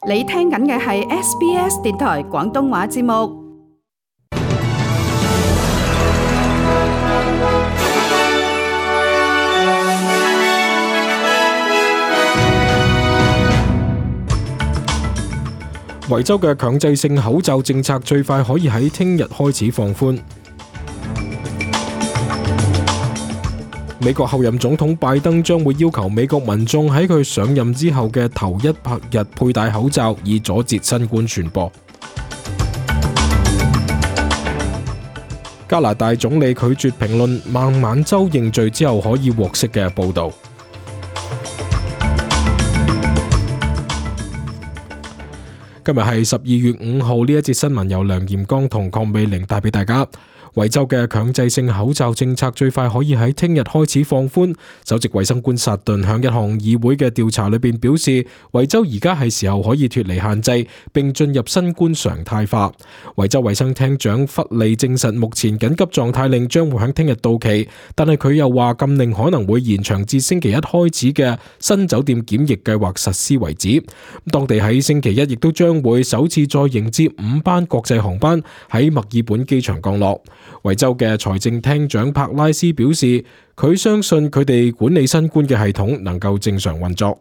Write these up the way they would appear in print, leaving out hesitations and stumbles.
你聽緊嘅係 SBS 電台廣東話節目。維州嘅強制性口罩政策最快可以喺聽日開始放寬。美國後任總統拜登將會要求美國民眾喺佢上任之後嘅頭100日佩戴口罩，以阻截新冠傳播。加拿大總理拒絕評論孟晚舟認罪之後可以獲釋嘅報導。今日係12月5號，呢一節新聞由梁炎光同鄺美玲帶俾大家。維州嘅強制性口罩政策最快可以喺聽日開始放寬。首席衛生官薩頓向一項議會嘅調查裏邊表示，維州而家係時候可以脫離限制，並進入新冠常態化。維州衛生廳長弗利證實，目前緊急狀態令將會喺聽日到期，但係佢又話禁令可能會延長至星期一開始嘅新酒店檢疫計劃實施為止。當地喺星期一亦都將會首次再迎接5班國際航班喺墨爾本機場降落。維州嘅財政廳長柏拉斯表示，佢相信佢哋管理新冠嘅系統能夠正常運作。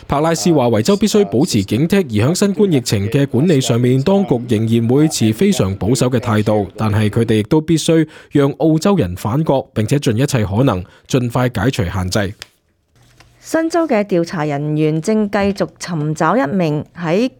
柏拉斯話，維州必須保持警惕，而喺新冠疫情嘅管理上面，當局仍然會持非常保守嘅態度，但係佢哋亦都必須讓澳洲人反覺，並且盡一切可能盡快解除限制。新州嘅調查人員正繼續尋找一名喺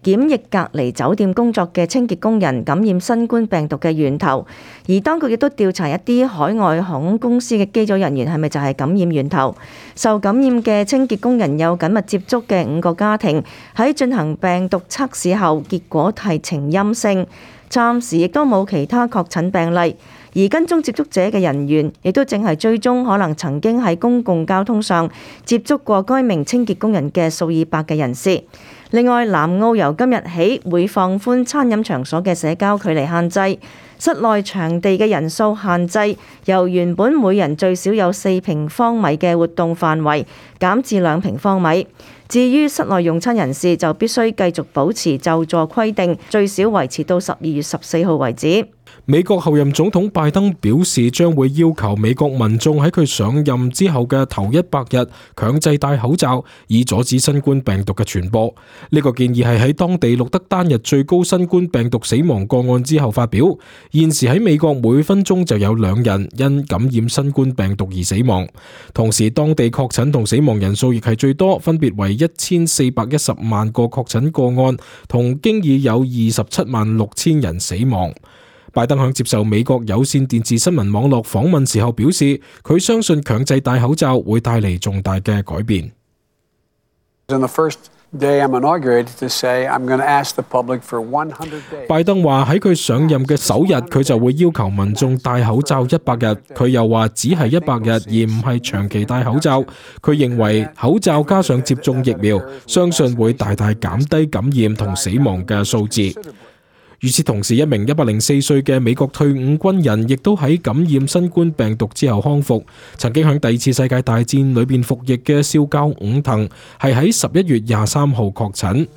檢疫隔離酒店工作嘅清潔工人感染新冠病毒嘅源頭，而當局亦都調查一啲海外航空公司嘅機組人員係咪就係感染源頭。受感染嘅清潔工人有緊密接觸嘅5個家庭，喺進行病毒測試後，結果係呈陰性，暫時亦都冇其他確診病例。而跟蹤接觸者嘅人員亦都正係追蹤可能曾經喺公共交通上接觸過該名清潔工人嘅數以百嘅人士。另外，南澳由今日起會放寬餐飲場所嘅社交距離限制，室內場地嘅人數限制由原本每人最少有4平方米嘅活動範圍減至2平方米。至於室內用餐人士就必須繼續保持就座規定，最少維持到12月14號為止。美國後任總統拜登表示，將會要求美國民眾喺佢上任之後嘅頭100日強制戴口罩，以阻止新冠病毒嘅傳播。呢個建議係喺當地錄得單日最高新冠病毒死亡個案之後發表。現時喺美國每分鐘就有2人因感染新冠病毒而死亡，同時當地確診同死亡人數亦係最多，分別為1410萬個確診個案，同經已有27萬6千人死亡。拜登喺接受美國有線電視新聞網絡訪問時候表示，佢相信強制戴口罩會帶嚟重大嘅改變。拜登話喺佢上任嘅首日，佢就會要求民眾戴口罩100日。佢又話只係100日，而唔係長期戴口罩。佢認為口罩加上接種疫苗，相信會大大減低感染同死亡嘅數字。與此同時，一名104歲嘅美國退伍軍人亦都喺感染新冠病毒之後康復。曾經喺第2次世界大戰裏邊服役嘅少校伍騰係喺11月23號確診。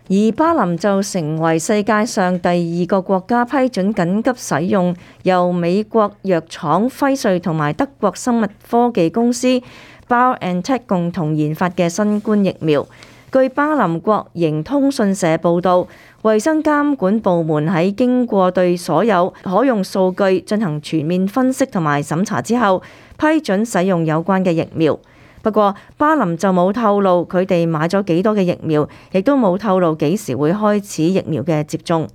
而巴林就成為世界上第2個國家批准緊急使用由美國藥廠輝瑞同埋德國生物科技公司 BioNTech 共同研發嘅新冠疫苗。據巴林國營通訊社報導，衛生監管部門喺經過對所有可用數據進行全面分析同埋審查之後，批准使用有關嘅疫苗。不過，巴林就冇透露佢哋買咗幾多嘅疫苗，亦都冇透露幾時會開始疫苗嘅接種。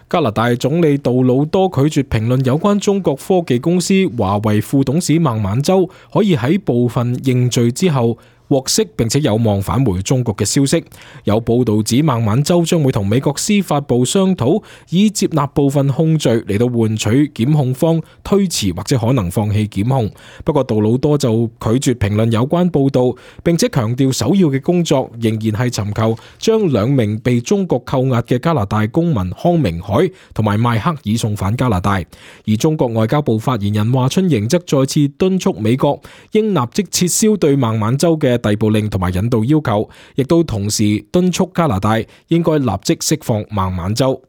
加拿大總理杜魯多拒絕評論有關中國科技公司華為副董事孟晚舟可以喺部分認罪之後獲釋並且有望返回中國嘅消息。有報道指孟晚舟將會同美國司法部商討，以接納部分控罪嚟到換取檢控方推遲或者可能放棄檢控。不過杜魯多就拒絕評論有關報道，並且強調首要嘅工作仍然係尋求將兩名被中國扣押嘅加拿大公民康明凱同埋邁克爾送返加拿大。而中國外交部發言人華春瑩則再次敦促美國應立即撤銷對孟晚舟嘅逮捕令同埋引渡要求，亦都同時敦促加拿大應該立即釋放孟晚舟。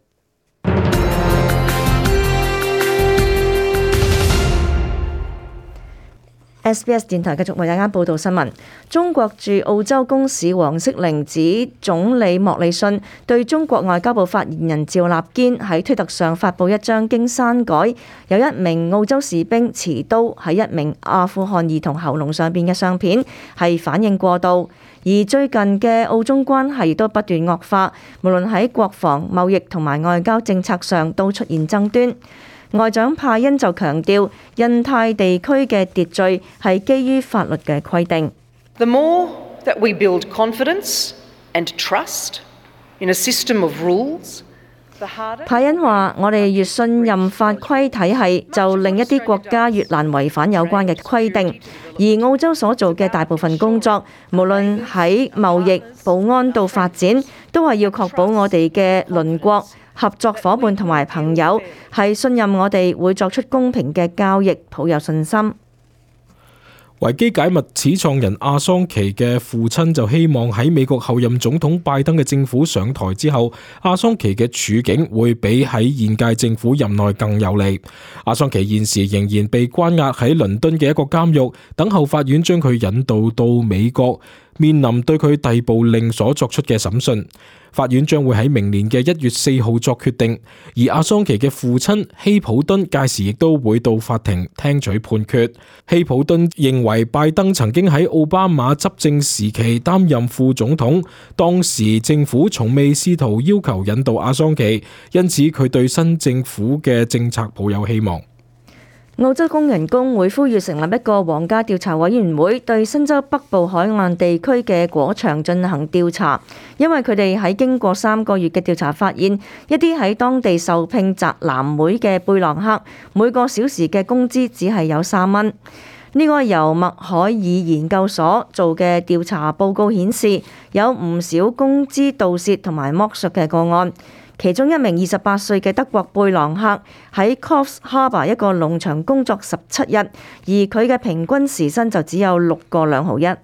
SBS 電台繼續為大家報道新聞。中國駐澳洲公使黃色玲指總理莫里遜對中國外交部發言人趙立堅喺推特上發布一張經刪改有一名澳洲士兵持刀喺一名阿富汗兒童喉嚨上邊嘅相片，係反應過度。而最近嘅澳中關係亦都不斷惡化，無論喺國防、貿易同埋外交政策上都出現爭端。外長派恩就強調，印太地區嘅秩序係基於法律嘅規定。The more that we build confidence and trust in a system of rules, the harder。派恩話：我哋越信任法規體系，就令一啲國家越難違反有關嘅規定。而澳洲所做嘅大部分工作，無論喺貿易、保安到發展，都係要確保我哋嘅鄰國、合作夥伴同埋朋友係信任我哋會作出公平嘅交易，抱有信心。維基解密始創人阿桑奇嘅父親就希望喺美國後任總統拜登嘅政府上台之後，阿桑奇嘅處境會比喺現屆政府任內更有利。阿桑奇現時仍然被關押喺倫敦嘅一個監獄，等候法院將佢引渡到美國，面臨對佢逮捕令所作出嘅審訊。法院將會喺明年嘅1月4號作決定，而阿桑奇嘅父親希普敦屆時亦都會到法庭聽取判決。希普敦認為拜登曾經喺奧巴馬執政時期擔任副總統，當時政府從未試圖要求引渡阿桑奇，因此佢對新政府嘅政策抱有希望。澳洲工人工會呼籲成立一個皇家調查委員會，對新州北部海岸地區嘅果場進行調查，因為佢哋喺經過3個月嘅調查發現，一啲喺當地受聘摘藍莓嘅貝朗克，每個小時嘅工資只係有3蚊。呢個由麥海爾研究所做嘅調查報告顯示，有唔少工資盜竊同埋剝削嘅個案。其中一名28歲嘅德國貝朗克喺 Coffs Harbour 一個農場工作17日，而佢嘅平均時薪就只有6個2毫1。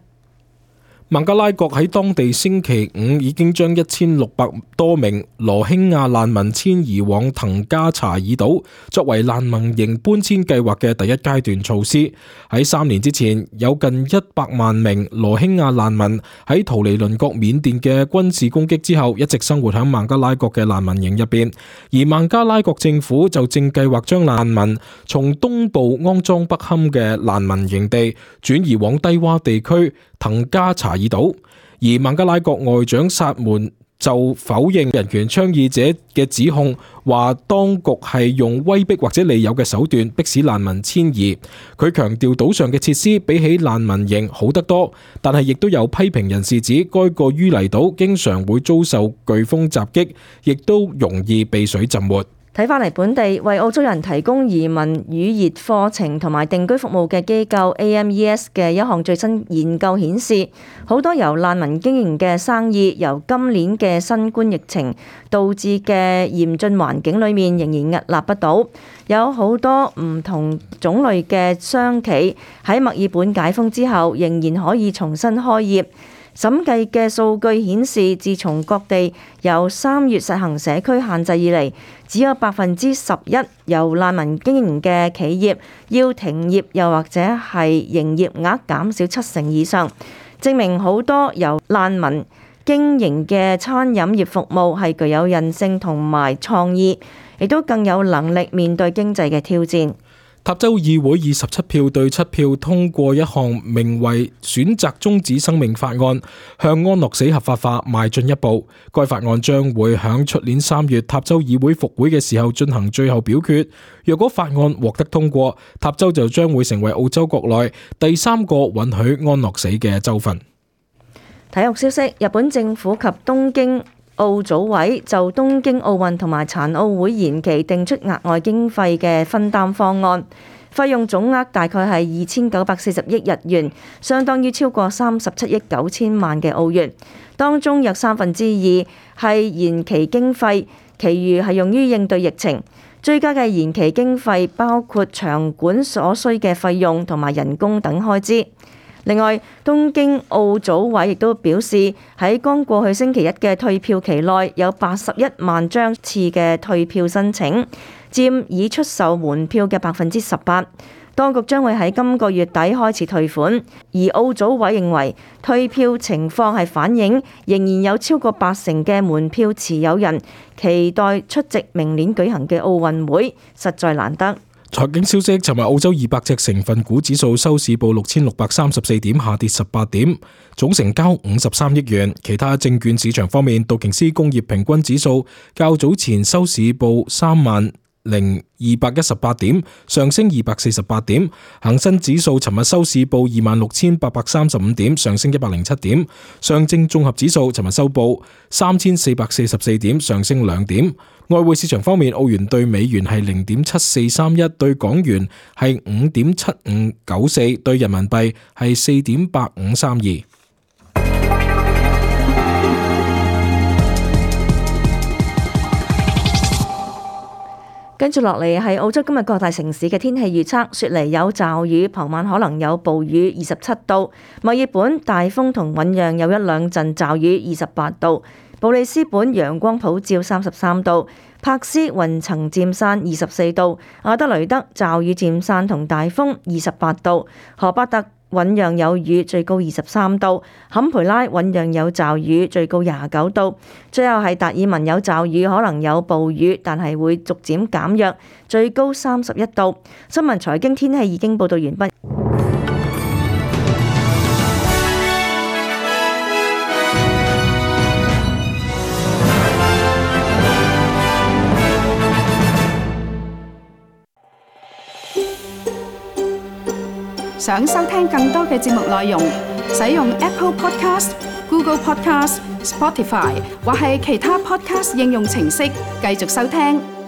孟加拉國喺當地星期5已經將1600多名羅興亞難民遷移往騰加查爾島，作為難民營搬遷計劃嘅第一階段措施。喺3年之前，有近100萬名羅興亞難民喺逃離鄰國緬甸嘅軍事攻擊之後，一直生活喺孟加拉國嘅難民營入邊。而孟加拉國政府就正計劃將難民從東部骯髒不堪嘅難民營地轉移往低洼地區騰加查爾島，而孟加拉國外長薩門就否認人權倡議者嘅指控，話當局係用威逼或者利誘嘅手段迫使難民遷移。佢強調島上嘅設施比起難民營好得多，但係亦都有批評人士指該個淤泥島經常會遭受颶風襲擊，亦都容易被水浸沒。睇返嚟本地為澳洲人提供移民語言課程同埋定居服務嘅機構 AMES 嘅一項最新研究顯示，好多由難民經營嘅生意，由今年嘅新冠疫情導致嘅嚴峻環境裏面仍然屹立不倒。有好多唔同種類嘅商企喺墨爾本解封之後仍然可以重新開業。審計嘅數據顯示，自從各地由3月實行社區限制以嚟，只有11%由難民經營嘅企業要停業，又或者係營業額減少70%以上，證明好多由難民經營嘅餐飲業服務係具有韌性同埋創意，亦都更有能力面對經濟嘅挑戰。塔州議會以17票對7票通過一項名為選擇終止生命法案，向安樂死合法化邁進一步。該法案將會響出年3月塔州議會復會嘅時候進行最後表決。若果法案獲得通過，塔州就將會成為澳洲國內第3個允許安樂死嘅州份。體育消息，日本政府及東京奧組委就東京奧運同埋殘奧會延期定出額外經費嘅分擔方案，費用總額大概係2940億日元，相當於超過37億9千萬嘅澳元。當中約2/3係延期經費，其餘係用於應對疫情。追加嘅延期經費包括場館所需嘅費用同埋人工等開支。另外，東京奧組委亦都表示，喺剛過去星期一嘅退票期內，有81萬張次嘅退票申請，佔已出售門票嘅18%。當局將會喺今個月底開始退款，而奧組委認為退票情況係反映仍然有超過80%嘅門票持有人期待出席明年舉行嘅奧運會，實在難得。財經消息，尋日澳洲200隻成分股指數收市報6634點，下跌18點，總成交53億元。其他證券市場方面，道瓊斯工業平均指數較早前收市報30218點，上升248點。恒生指數尋日收市報26835點，上升107點。上證綜合指數尋日收報3444點，上升2點。外匯市場方面，澳元對美元係0.7431，對港元係5.7594，對人民幣係4.8532。跟住落嚟係澳洲今日各大城市嘅天氣預測：雪梨有驟雨，傍晚可能有暴雨，27度；墨爾本大風同醞釀有1兩陣驟雨，28度；布里斯本陽光普照，33度；柏斯雲層漸散，24度；阿德雷德驟雨漸散同大風，28度；荷巴特醞釀有雨，最高23度；坎培拉醞釀有驟雨，最高29度；最後係達爾文有驟雨，可能有暴雨，但係會逐漸減弱，最高31度。新聞財經天氣已經報道完畢。想收聽更多嘅節目內容，使用 Apple Podcast、Google Podcast、Spotify 或係其他 Podcast 應用程式繼續收聽。